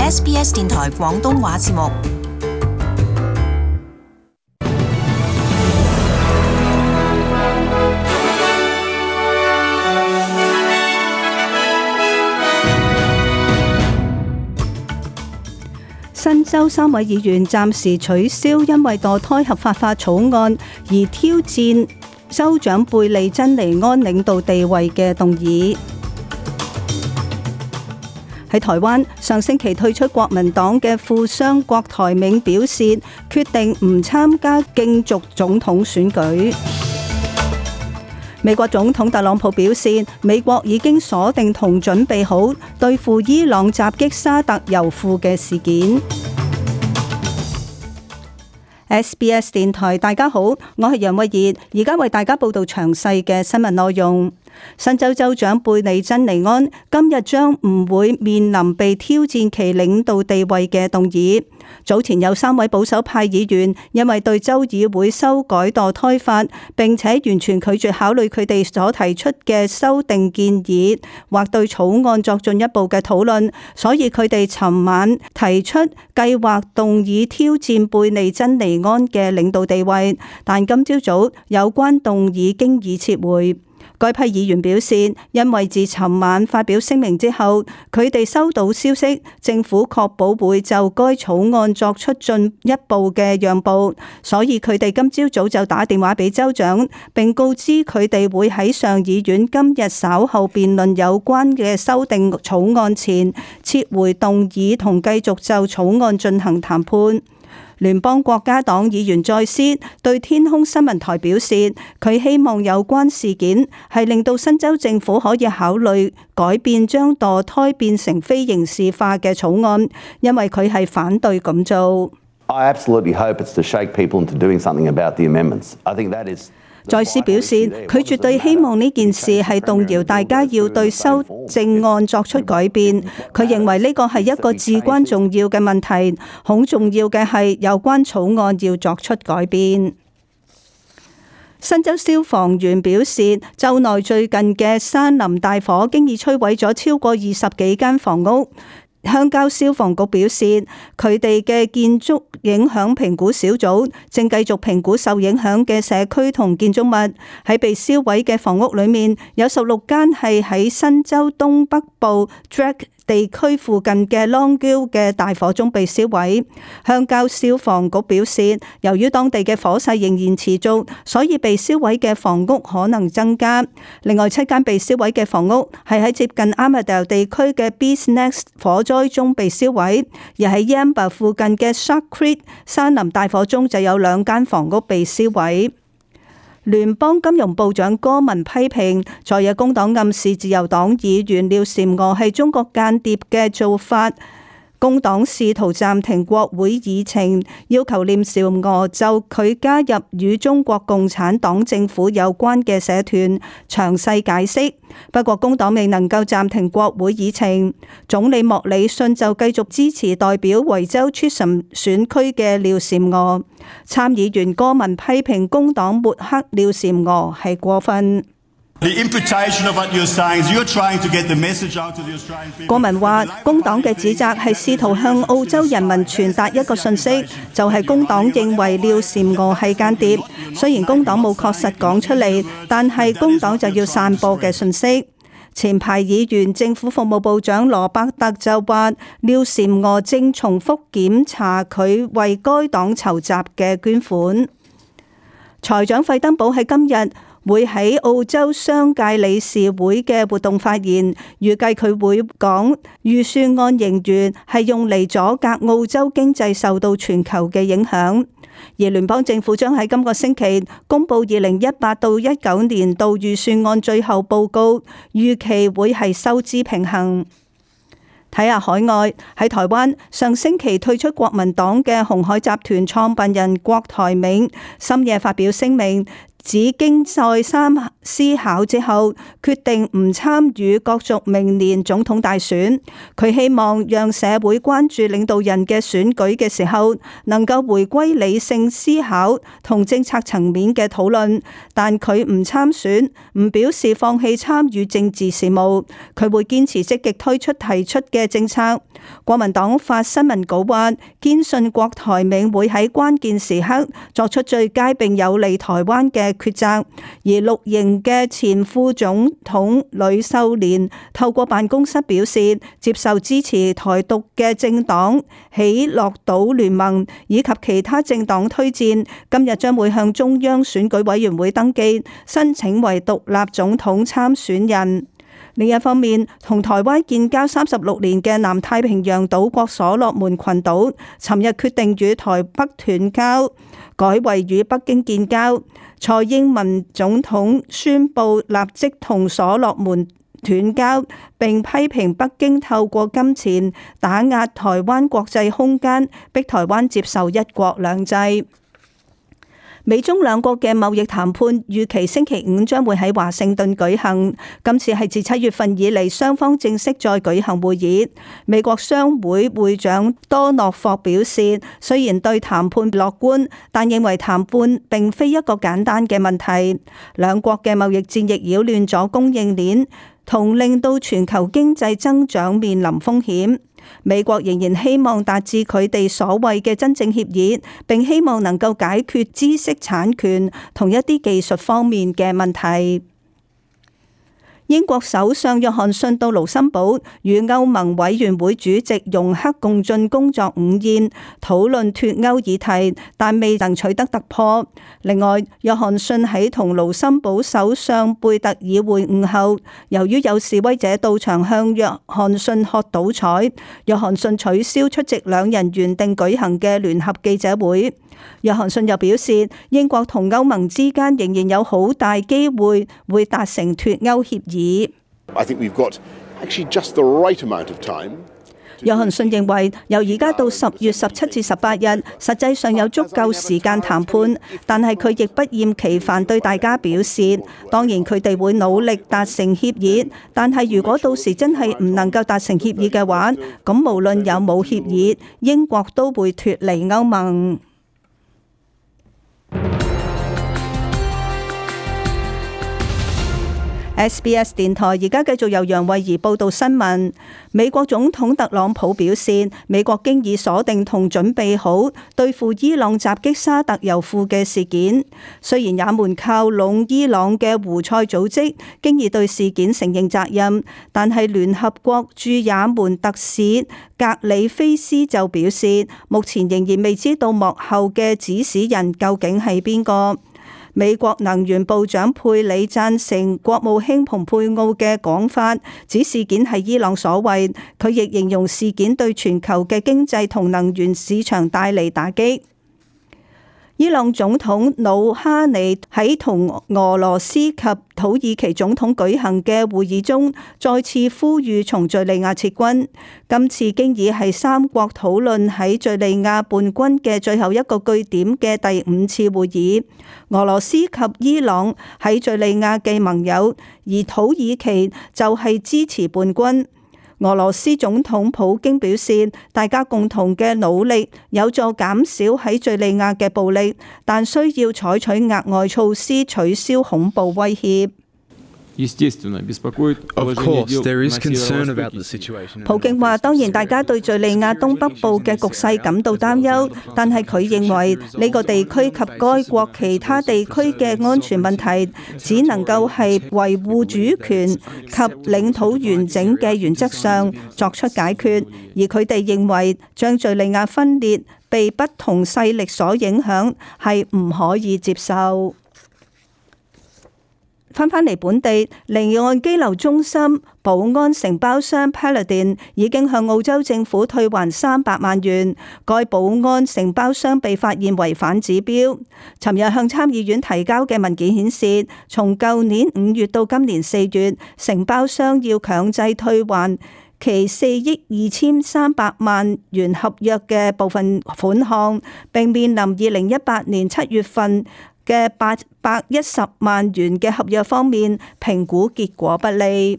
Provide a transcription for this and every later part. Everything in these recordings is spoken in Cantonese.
SBS 電台廣東話節目。新州3位議員暫時取消因為墮胎合法化草案而挑戰州長貝利珍尼安領導地位嘅動議。喺台灣，上星期退出國民黨嘅富商郭台銘表示，決定唔參加競逐總統選舉。美國總統特朗普表示，美國已經鎖定同準備好對付伊朗襲擊沙特油庫嘅事件。SBS 電台，大家好，我係楊慧儀，而家為大家報道詳細嘅新聞內容。新州州長貝利珍尼安今日將唔會面臨被挑戰其領導地位嘅動議。早前有3位保守派議員因為對州議會修改墮胎法，並且完全拒絕考慮佢哋所提出嘅修訂建議，或對草案作進一步嘅討論，所以佢哋尋晚提出計劃動議挑戰貝利珍尼安嘅領導地位，但今朝早有關動議經已撤回。該批議員表示，因為自尋晚發表聲明之後，佢哋收到消息，政府確保會就該草案作出進一步嘅讓步，所以佢哋今朝早就打電話俾州長，並告知佢哋會喺上議院今日稍後辯論有關嘅修訂草案前，撤回動議同繼續就草案進行談判。聯邦國家黨議員再斯對天空新聞台表示，佢希望有關事件係令到新州政府可以考慮改變將墮胎變成非刑事化嘅草案，因為佢係反對咁做。I absolutely hope it's to shake people into doing something about the amendments. I think that is. 再斯表示，佢絕對希望呢件事係動搖大家要對修正案作出改變。佢認為呢個係一個至關重要嘅問題，好重要嘅係有關草案要作出改變。新州消防員表示，州內最近嘅山林大火經已摧毀咗超過20幾間房屋。鄉郊消防局表示，佢哋嘅建築影響評估小組正繼續評估受影響嘅社區同建築物。喺被燒毀嘅房屋裏面，有16間係喺新州東北部 Drake 地區附近嘅 Longgill 嘅大火中被燒毀。鄉郊消防局表示，由於當地嘅火勢仍然持續，所以被燒毀嘅房屋可能增加。另外7間被燒毀嘅房屋係喺接近 Armidale 地區嘅 Bees Nest 火災中被燒毀，而喺 Yamba 附近嘅 Shark Creek 山林大火中就有2間房屋被燒毀。聯邦金融部長戈文批評在野工黨暗示自由黨議員廖嬋娥係中國間諜嘅做法。工黨試圖暫停國會議程，要求廖嬋娥就佢加入與中國共產黨政府有關嘅社團詳細解釋。不過工黨未能夠暫停國會議程。總理莫里遜就繼續支持代表維州 Chisholm 選區嘅廖嬋娥。參議員戈文批評工黨抹黑廖嬋娥係過分。戈文話，工黨嘅指責係試圖向澳洲人民傳達一個訊息，就係工黨認為廖嬋娥係間諜。雖然工黨冇確實講出嚟，但係工黨就要散播嘅訊息。前排議員政府服務部長羅伯特就話，廖嬋娥正重複檢查佢為該黨籌集嘅捐款。財長費登堡喺今日會喺澳洲商界理事會嘅活動發言，預計佢會講預算案盈餘係用嚟阻隔澳洲經濟受到全球嘅影響。而聯邦政府將喺今個星期公布2018到19年度預算案最後報告，預期會係收支平衡。睇下海外，喺台灣上星期退出國民黨嘅鴻海集團創辦人郭台銘深夜發表聲明，只經再三思考之後，決定唔參與角逐明年總統大選。佢希望讓社會關注領導人嘅選舉嘅時候，能夠回歸理性思考同政策層面嘅討論。但佢唔參選，唔表示放棄參與政治事務。佢會堅持積極推出提出嘅政策。國民黨發新聞稿話，堅信郭台銘會喺關鍵時刻作出最佳並有利台灣嘅抉擇。而綠營嘅前副總統呂秀蓮透過辦公室表示，接受支持台獨嘅政黨喜樂島聯盟以及其他政黨推薦，今日將會向中央選舉委員會登記，申請為獨立總統參選人。另一方面，同台灣建交36年嘅南太平洋島國所羅門群島，尋日決定與台北斷交，改為與北京建交。蔡英文總統宣布立即同所羅門斷交，並批評北京透過金錢打壓台灣國際空間，逼台灣接受一國兩制。美中兩國嘅貿易談判預期星期五將會喺華盛頓舉行，今次係自7月份以嚟雙方正式再舉行會議。美國商會會長多諾霍表示，雖然對談判樂觀，但認為談判並非一個簡單嘅問題。兩國嘅貿易戰亦擾亂咗供應鏈，同令到全球經濟增長面臨風險。美國仍然希望達至佢哋所謂嘅真正協議，並希望能夠解決知識產權同一啲技術方面嘅問題。英國首相約翰遜到盧森堡與歐盟委員會主席容克共進工作午宴，討論脫歐議題，但未能取得突破。另外，約翰遜喺同盧森堡首相貝特爾會晤後，由於有示威者到場向約翰遜喝倒彩，約翰遜取消出席兩人原定舉行嘅聯合記者會。約翰遜又表示，英國同歐盟之間仍然有好大機會會達成脫歐協議。約翰遜認為，由而家到10月17至18日，實際上有足夠時間談判，但係佢亦不厭其煩對大家表示，當然佢哋會努力達成協議，但係如果到時真係唔能夠達成協議嘅話，咁無論有冇協議，英國都會脫離歐盟。SBS 電台而家繼續由楊慧儀報道新聞。美國總統特朗普表示，美國經已鎖定同準備好對付伊朗襲擊沙特油庫嘅事件。雖然也門靠攏伊朗嘅胡塞組織經已對事件承認責任，但係聯合國駐也門特使格里菲斯就表示，目前仍然未知道幕後嘅指使人究竟係邊個。美國能源部長佩里贊成國務卿蓬佩奧嘅講法，指事件係伊朗所為。佢亦形容事件對全球嘅經濟同能源市場帶嚟打擊。伊朗總統魯哈尼喺同俄羅斯及土耳其總統舉行嘅會議中，再次呼籲從敘利亞撤軍。今次經已係三國討論喺敘利亞叛軍嘅最後一個據點嘅第5次會議。俄羅斯及伊朗喺敘利亞嘅盟友，而土耳其就係支持叛軍。俄羅斯總統普京表示，大家共同嘅努力有助減少喺敘利亞嘅暴力，但需要採取額外措施取消恐怖威脅。普京話：當然，大家對敘利亞東北部嘅局勢感到擔憂，但係佢認為呢個地區及該國其他地區嘅安全問題，只能夠係維護主權及領土完整嘅原則上作出解決，而佢哋認為將敘利亞分裂、被不同勢力所影響係唔可以接受。翻返嚟本地，離岸羈留中心保安承包商 Paladin 已經向澳洲政府退還300萬元。該保安承包商被發現違反指標。尋日向參議院提交嘅文件顯示，從舊年5月到今年4月，承包商要強制退還其4億2300萬元合約嘅部分款項，並面臨2018年7月份嘅810萬元嘅合約方面，評估結果不利。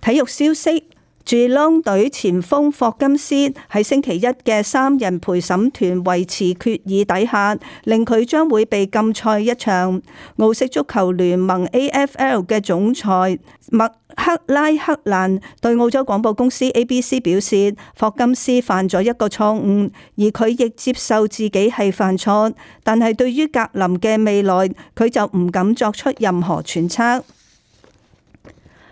體育消息，住朗隊前鋒霍金斯喺星期一嘅3人陪審團維持決議底下，令佢將會被禁賽一場。澳式足球聯盟 AFL 嘅總裁麥克拉克蘭對澳洲廣播公司 ABC 表示，霍金斯犯咗一個錯誤，而佢亦接受自己係犯錯，但係對於格林嘅未來，佢就唔敢作出任何揣測。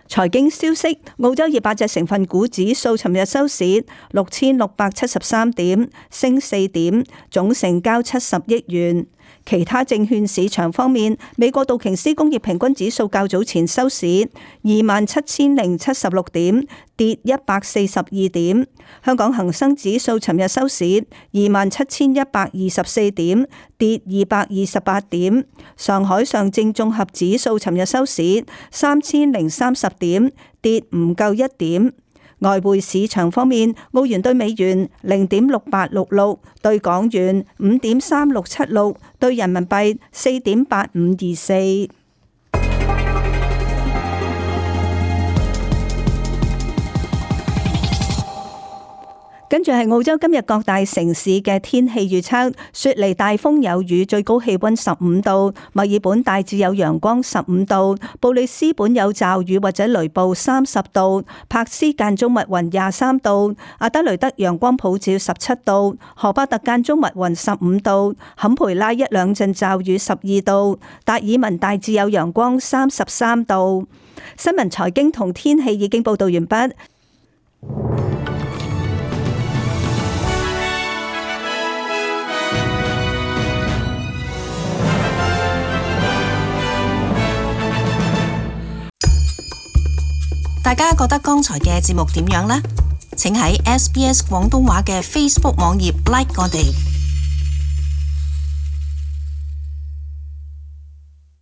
財經消息，澳洲200隻成分股指數尋日收市6673點，升4點，總成交70億元。其他證券市場方面，美國道瓊斯工業平均指數較早前收市27076點，跌142點。香港恒生指數尋日收市27124點，跌228點。上海上證綜合指數尋日收市3030點，跌唔夠1點。外匯市場方面，澳元對美元0.6866，對港元5.3676，對人民幣4.8524。跟住係澳洲今日各大城市嘅天氣預測：雪梨大風有雨，最高氣溫15度；墨爾本大致有陽光15度；布里斯本有驟雨或者雷暴30度；柏斯間中密雲23度；阿德雷德陽光普照17度；荷巴特間中密雲15度；坎培拉一兩陣驟雨12度；達爾文大致有陽光33度。新聞、財經同天氣已經報道完畢。大家覺得剛才嘅節目點樣呢？請喺SBS 廣東話嘅 Facebook 網頁 like 我哋。